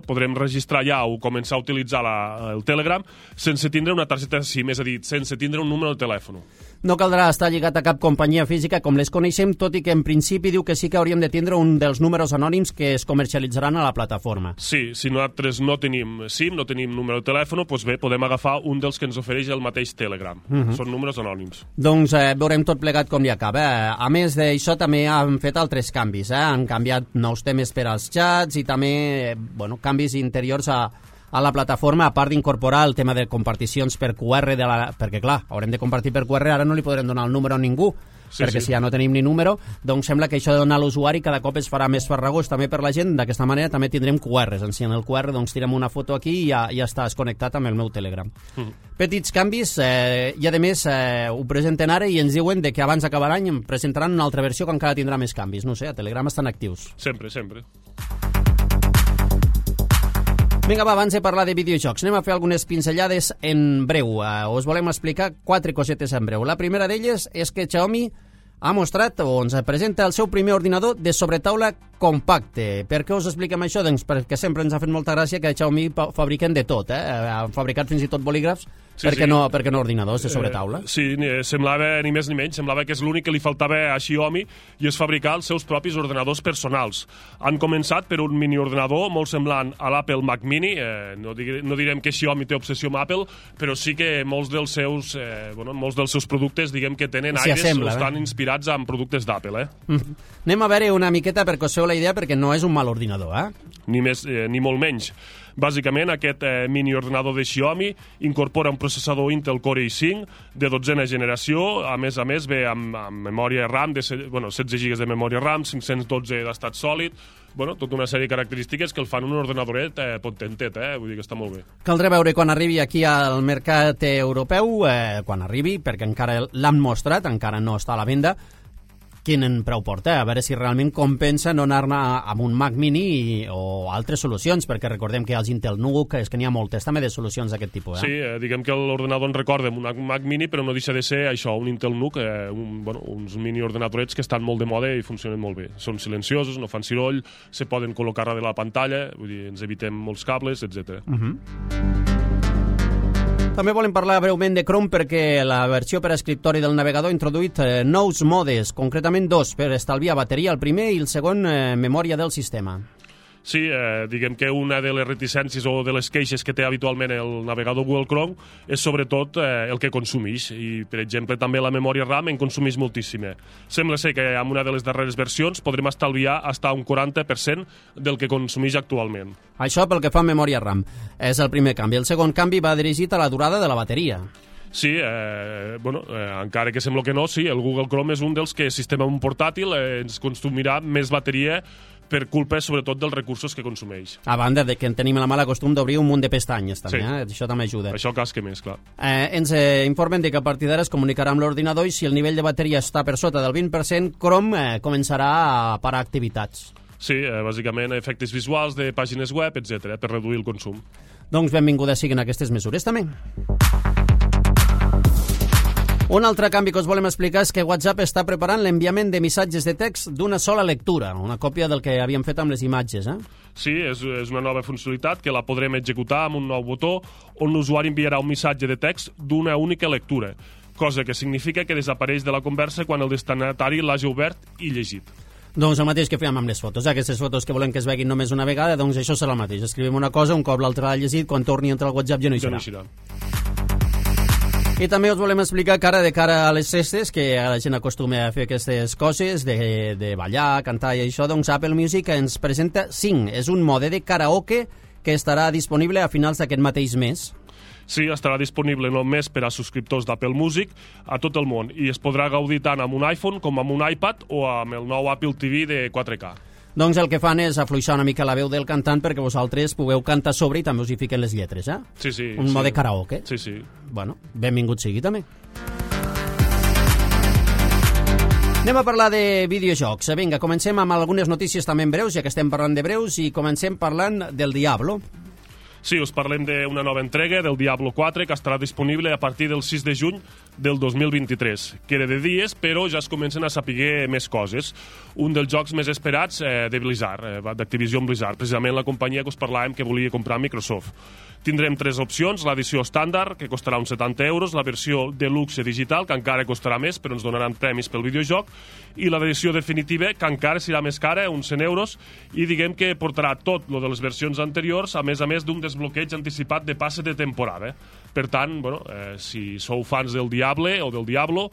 podrem registrar ja o començar a utilitzar el Telegram sense tindre una targeta SIM, és a dir, sense tindre un número de telèfon. No caldrà estar lligat a cap companyia física com les coneixem, tot i que en principi diu que sí que hauríem de tindre un dels números anònims que es comercialitzaran a la plataforma. Sí, si nosaltres no tenim SIM, no tenim número de telèfon, doncs bé, podem agafar un dels que ens ofereix el mateix Telegram. Són números anònims. Doncs veurem tot plegat com li acaba. A més d'això també han fet altres canvis. Han canviat nous temes per als xats i també canvis interiors a la plataforma, a part d'incorporar el tema de comparticions per QR, perquè clar, haurem de compartir per QR, ara no li podrem donar el número a ningú, perquè si ja no tenim ni número, doncs sembla que això de donar a l'usuari cada cop es farà més farragós també per la gent. D'aquesta manera també tindrem QRs. En el QR doncs tirem una foto aquí i ja estàs connectat amb el meu Telegram. Petits canvis, i a més ho presenten ara i ens diuen que abans d'acabar l'any presentaran una altra versió que encara tindrà més canvis. No sé, a Telegram estan actius. Sempre, sempre. Vinga, va, abans de parlar de videojocs, anem a fer algunes pinzellades en breu. Us volem explicar 4 cosetes en breu. La primera d'elles és que Xiaomi ha mostrat o ens presenta el seu primer ordinador de sobretaula compacte. Per què us expliquem això? Doncs perquè sempre ens ha fet molta gràcia que Xiaomi fabriquen de tot. Han fabricat fins i tot bolígrafs, perquè no ordinadors de sobretaula. Sí, semblava ni més ni menys, semblava que és l'únic que li faltava a Xiaomi, i és fabricar els seus propis ordenadors personals. Han començat per un miniordenador molt semblant a l'Apple Mac Mini. No direm que Xiaomi té obsessió amb Apple, però sí que molts dels seus productes, diguem que tenen aires o estan inspirats en productes d'Apple. Anem a veure una miqueta perquè us feu la idea, perquè no és un mal ordinador, ni molt menys. Bàsicament, aquest mini ordenador de Xiaomi incorpora un processador Intel Core i5 de 12a generació, a més ve amb memòria RAM, 16 GB de memòria RAM, 512 d'estat sòlid, tota una sèrie de característiques que el fan un ordenadoret potentet, vull dir que està molt bé. Caldrà veure quan arribi aquí al mercat europeu, quan arribi, perquè encara l'han mostrat, encara no està a la venda, quin preu porta, a veure si realment compensa no anar-ne amb un Mac Mini o altres solucions, perquè recordem que els Intel NUC, és que n'hi ha moltes també de solucions d'aquest tipus. Sí, diguem que l'ordenador en recorda un Mac Mini, però no deixa de ser això, un Intel NUC, uns mini ordenadorets que estan molt de moda i funcionen molt bé. Són silenciosos, no fan soroll, se poden col·locar darrere la pantalla, vull dir, ens evitem molts cables, etc. També volem parlar breument de Chrome perquè la versió per a escriptori del navegador ha introduït nous modes, concretament dos, per estalviar bateria, el primer i el segon, memòria del sistema. Sí, diguem que una de les reticències o de les queixes que té habitualment el navegador Google Chrome és sobretot el que consumeix i, per exemple, també la memòria RAM en consumeix moltíssima. Sembla ser que amb una de les darreres versions podrem estalviar fins a un 40% del que consumeix actualment. Això pel que fa a memòria RAM. És el primer canvi. El segon canvi va dirigit a la durada de la bateria. Sí, encara que sembla que no, sí, el Google Chrome és un dels que, sistema un portàtil, ens consumirà més bateria per culpa, sobretot, dels recursos que consumeix. A banda de que tenim la mala costum d'obrir un munt de pestanyes, també, sí. Això també ajuda. Això casca més, clar. Ens informen de que a partir d'ara es comunicarà amb l'ordinador i si el nivell de bateria està per sota del 20%, Chrome començarà a parar activitats. Sí, bàsicament efectes visuals de pàgines web, etc., per reduir el consum. Doncs benvingudes siguin aquestes mesures, també. Un altre canvi que us volem explicar és que WhatsApp està preparant l'enviament de missatges de text d'una sola lectura, una còpia del que havíem fet amb les imatges. Sí, és una nova funcionalitat que la podrem executar amb un nou botó on l'usuari enviarà un missatge de text d'una única lectura, cosa que significa que desapareix de la conversa quan el destinatari l'hagi obert i llegit. Doncs el mateix que fèiem amb les fotos. Aquestes fotos que volem que es veguin només una vegada, doncs això serà el mateix. Escrivim una cosa, un cop l'altre l'ha llegit, quan torni a entrar al WhatsApp ja no hi serà. I també us volem explicar que ara, de cara a les festes, que la gent acostuma a fer aquestes coses, de ballar, cantar i això, doncs Apple Music ens presenta Sing. És un mode de karaoke que estarà disponible a finals d'aquest mateix mes. Sí, estarà disponible només per a subscriptors d'Apple Music a tot el món i es podrà gaudir tant amb un iPhone com amb un iPad o amb el nou Apple TV de 4K. Doncs el que fan és afluixar una mica la veu del cantant perquè vosaltres pugueu cantar sobre i també us hi fiquen les lletres, Sí, sí. Un mode karaoke. Sí, sí. Bueno, benvingut sigui també. Anem a parlar de videojocs. Vinga, comencem amb algunes notícies també en breus, ja que estem parlant de breus, i comencem parlant del Diablo. Sí, us parlem d'una nova entrega del Diablo 4 que estarà disponible a partir del 6 de juny del 2023. Queda de dies, però ja es comencen a saber més coses. Un dels jocs més esperats de Blizzard, d'Activision Blizzard, precisament la companyia que us parlàvem que volia comprar Microsoft. Tindrem tres opcions, l'edició estàndard, que costarà uns 70 euros, la versió deluxe digital, que encara costarà més, però ens donaran premis pel videojoc, i l'edició definitiva, que encara serà més cara, uns 100 euros, i diguem que portarà tot lo de les versions anteriors, a més d'un desbloqueig anticipat de passe de temporada. Per tant, si sou fans del Diable o del Diablo,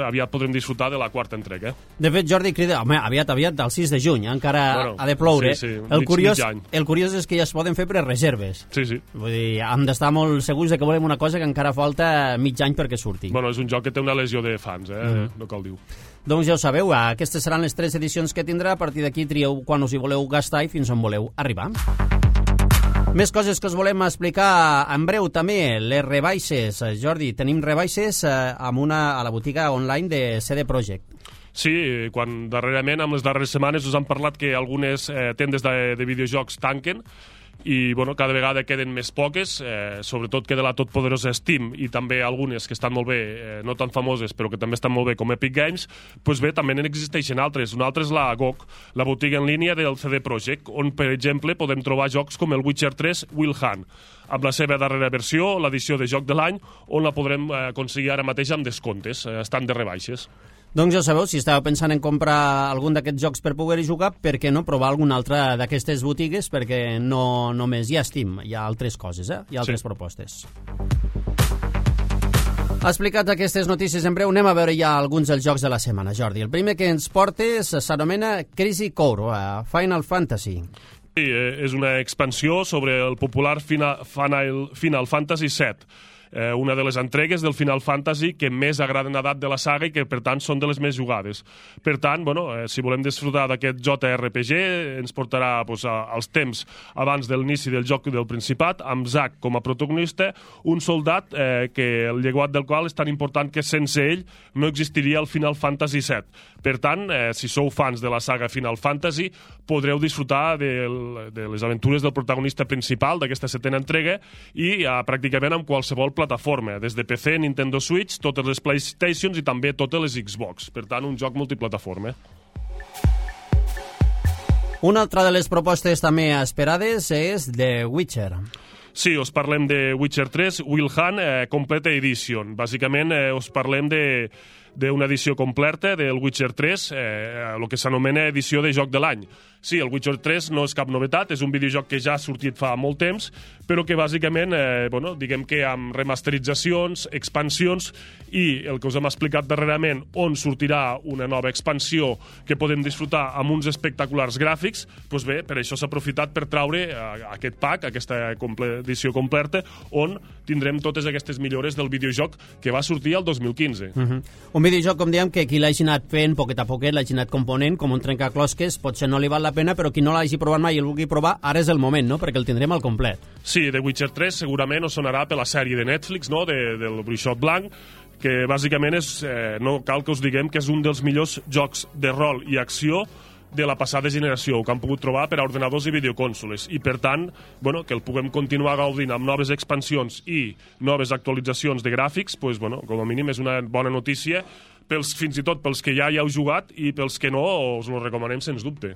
aviat podrem disfrutar de la quarta entrega. De fet, Jordi crida, home, aviat, del 6 de juny, encara ha de ploure. Sí, el curiós és que ja es poden fer prereserves. Sí, sí. Vull dir, hem d'estar molt segurs de que volem una cosa que encara falta mig any perquè surti. És un joc que té una legió de fans, no cal dir. Doncs ja ho sabeu, aquestes seran les 3 edicions que tindrà, a partir d'aquí trieu quan us hi voleu gastar i fins on voleu arribar. Més coses que us volem explicar en breu també, les rebaixes. Jordi, tenim rebaixes a la botiga online de CD Projekt. Sí, quan darrerament, amb les darreres setmanes, us han parlat que algunes tendes de videojocs tanquen i cada vegada queden més poques, sobretot queda la totpoderosa Steam i també algunes que estan molt bé, no tan famoses però que també estan molt bé com Epic Games. Doncs bé, també n'existeixen altres. Una altra és la GOG, la botiga en línia del CD Projekt, on per exemple podem trobar jocs com el Witcher 3 Wild Hunt, amb la seva darrera versió, l'edició de joc de l'any, on la podrem aconseguir ara mateix amb descomptes, estan de rebaixes. Doncs ja sabeu, si estàveu pensant en comprar algun d'aquests jocs per poder-hi jugar, per què no provar alguna altra d'aquestes botigues, perquè no només hi ha Steam, hi ha altres coses, hi ha altres propostes. Explicats aquestes notícies en breu, anem a veure ja alguns dels jocs de la setmana, Jordi. El primer que ens portes s'anomena Crazy Core, Final Fantasy. Sí, és una expansió sobre el popular Final Fantasy VII, una de les entregues del Final Fantasy que més agraden a edat de la saga i que, per tant, són de les més jugades. Per tant, si volem disfrutar d'aquest JRPG, ens portarà als temps abans de l'inici del joc del Principat, amb Zack com a protagonista, un soldat que el llegat del qual és tan important que sense ell no existiria el Final Fantasy VII. Per tant, si sou fans de la saga Final Fantasy, podreu disfrutar de les aventures del protagonista principal d'aquesta 7ª entrega i pràcticament amb qualsevol plataforma, des de PC, Nintendo Switch, totes les PlayStations i també totes les Xbox. Per tant, un joc multiplataforma. Una altra de les propostes també esperades és The Witcher. Sí, us parlem de Witcher 3, Wild Hunt Complete Edition. Bàsicament, us parlem d'una edició completa del Witcher 3, el que s'anomena edició de joc de l'any. Sí, el Witcher 3 no és cap novetat, és un videojoc que ja ha sortit fa molt temps, però que bàsicament, diguem que amb remasteritzacions, expansions i el que us hem explicat darrerament, on sortirà una nova expansió que podem disfrutar amb uns espectaculars gràfics, doncs bé, per això s'ha aprofitat per traure aquest pack, aquesta edició completa, on tindrem totes aquestes millores del videojoc que va sortir el 2015. Un videojoc, com dèiem, que qui l'hagi anat fent poquet a poquet, l'hagi anat component, com un trencaclosques, potser no li val la pena, però qui no l'hagi provat mai i el vulgui provar, ara és el moment, no?, perquè el tindrem al complet. Sí, The Witcher 3 segurament us sonarà per la sèrie de Netflix, no?, del Bruixot Blanc, que bàsicament no cal que us diguem que és un dels millors jocs de rol i acció de la passada generació, que han pogut trobar per a ordenadors i videocònsoles, i per tant, que el puguem continuar gaudint amb noves expansions i noves actualitzacions de gràfics, com a mínim és una bona notícia, fins i tot pels que ja hi heu jugat i pels que no, us ho recomanem sens dubte.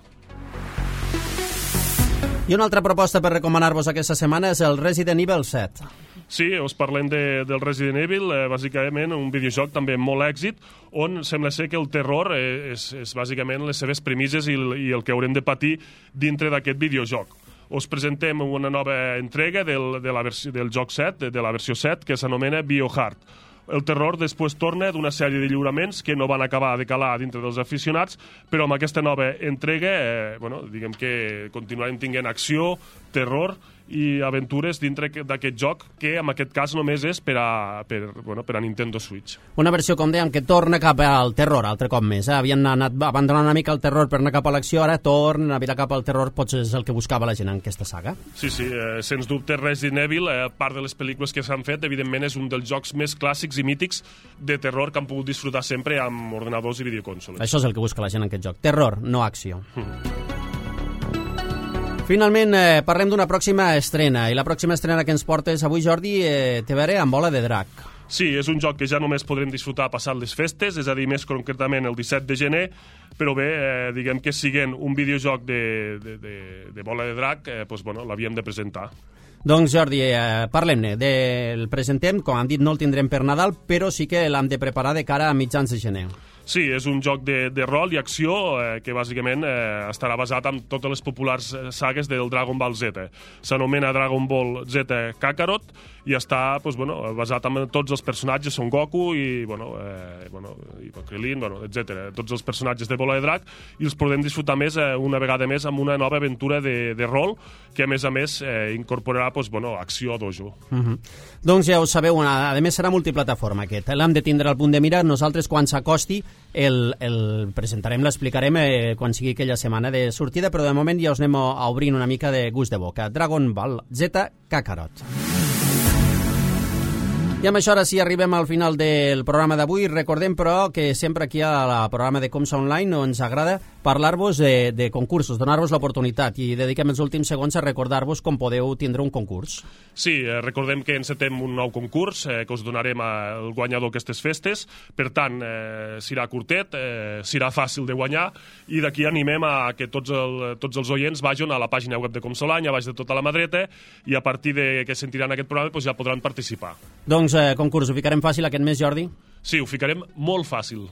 I una altra proposta per recomanar-vos aquesta setmana és el Resident Evil 7. Sí, us parlem del Resident Evil, bàsicament un videojoc també amb molt èxit, on sembla ser que el terror és bàsicament les seves premisses i el que haurem de patir dintre d'aquest videojoc. Us presentem una nova entrega del joc 7, de la versió 7, que s'anomena Biohazard. El terror després torna d'una sèrie de lliuraments que no van acabar de calar dintre dels aficionats, però amb aquesta nova entrega, diguem que continuarem tinguent acció, terror i aventures dintre d'aquest joc, que en aquest cas només és per a Nintendo Switch. Una versió, com dèiem, que torna cap al terror, altre cop més. Havien anat abandonant una mica el terror per anar cap a l'acció, ara torna a mirar cap al terror, potser és el que buscava la gent en aquesta saga. Sí, sens dubte Resident Evil, a part de les pel·lícules que s'han fet, evidentment és un dels jocs més clàssics i mítics de terror que han pogut disfrutar sempre amb ordenadors i videocònsoles. Això és el que busca la gent en aquest joc, terror, no acció. Finalment, parlem d'una pròxima estrena, i la pròxima estrena que ens portes avui, Jordi, té a veure amb Bola de Drac. Sí, és un joc que ja només podrem disfrutar passat les festes, és a dir, més concretament el 17 de gener, però bé, diguem que siguent un videojoc de Bola de Drac, l'havíem de presentar. Doncs, Jordi, parlem-ne. El presentem, com han dit, no el tindrem per Nadal, però sí que l'hem de preparar de cara a mitjans de gener. Sí, és un joc de rol i acció que bàsicament estarà basat en totes les populars sagues del Dragon Ball Z. S'anomena Dragon Ball Z Kakarot i està basat en tots els personatges, Son Goku i Krillin, etc. Tots els personatges de Bola de Drac, i els podem disfrutar més una vegada més amb una nova aventura de rol que a més incorporarà acció a dojo. Doncs ja ho sabeu, a més serà multiplataforma aquest. L'hem de tindre al punt de mira. Nosaltres, quan s'acosti, el presentarem, l'explicarem quan sigui aquella setmana de sortida, però de moment ja us anem a obrint una mica de gust de boca. Dragon Ball Z Kakarot. I amb això ara sí arribem al final del programa d'avui. Recordem, però, que sempre aquí al programa de Comsa Online ens agrada parlar-vos de concursos, donar-vos l'oportunitat, i dediquem els últims segons a recordar-vos com podeu tindre un concurs. Sí, recordem que encetem un nou concurs que us donarem al guanyador aquestes festes. Per tant, serà curtet, serà fàcil de guanyar, i d'aquí animem a que tots els oients vagin a la pàgina web de Comsa Online, a baix de tota la mà dreta, i a partir de que sentiran aquest programa ja podran participar. Doncs concurs, ho ficarem fàcil aquest mes, Jordi? Sí, ho ficarem molt fàcil.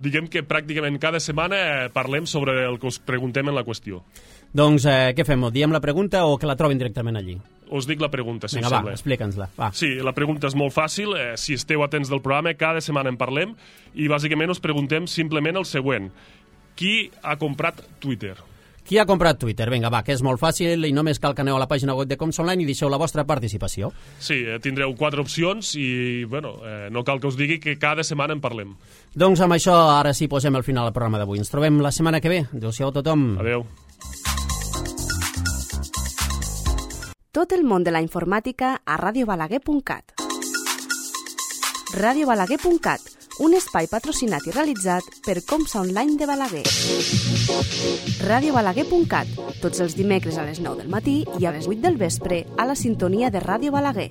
Diguem que pràcticament cada setmana parlem sobre el que us preguntem en la qüestió. Doncs què fem? Diem la pregunta o que la trobin directament allí? Us dic la pregunta, si us sembla. Vinga, va, explica'ns-la. Sí, la pregunta és molt fàcil. Si esteu atents del programa, cada setmana en parlem, i bàsicament us preguntem simplement el següent. Qui ha comprat Twitter? Qui ha comprat Twitter? Vinga, va, que és molt fàcil i només cal que aneu a la pàgina web de Coms Online i deixeu la vostra participació. Sí, tindreu 4 opcions i, bueno, no cal que us digui que cada setmana en parlem. Doncs amb això ara sí posem el final al programa d'avui. Ens trobem la setmana que ve. Adéu-siau a tothom. Adéu. Tot el món de la informàtica a radiobalaguer.cat. radiobalaguer.cat, un espai patrocinat i realitzat per Coms Online de Balaguer. radiobalaguer.cat, tots els dimecres a les 9 del matí i a les 8 del vespre a la sintonia de Ràdio Balaguer.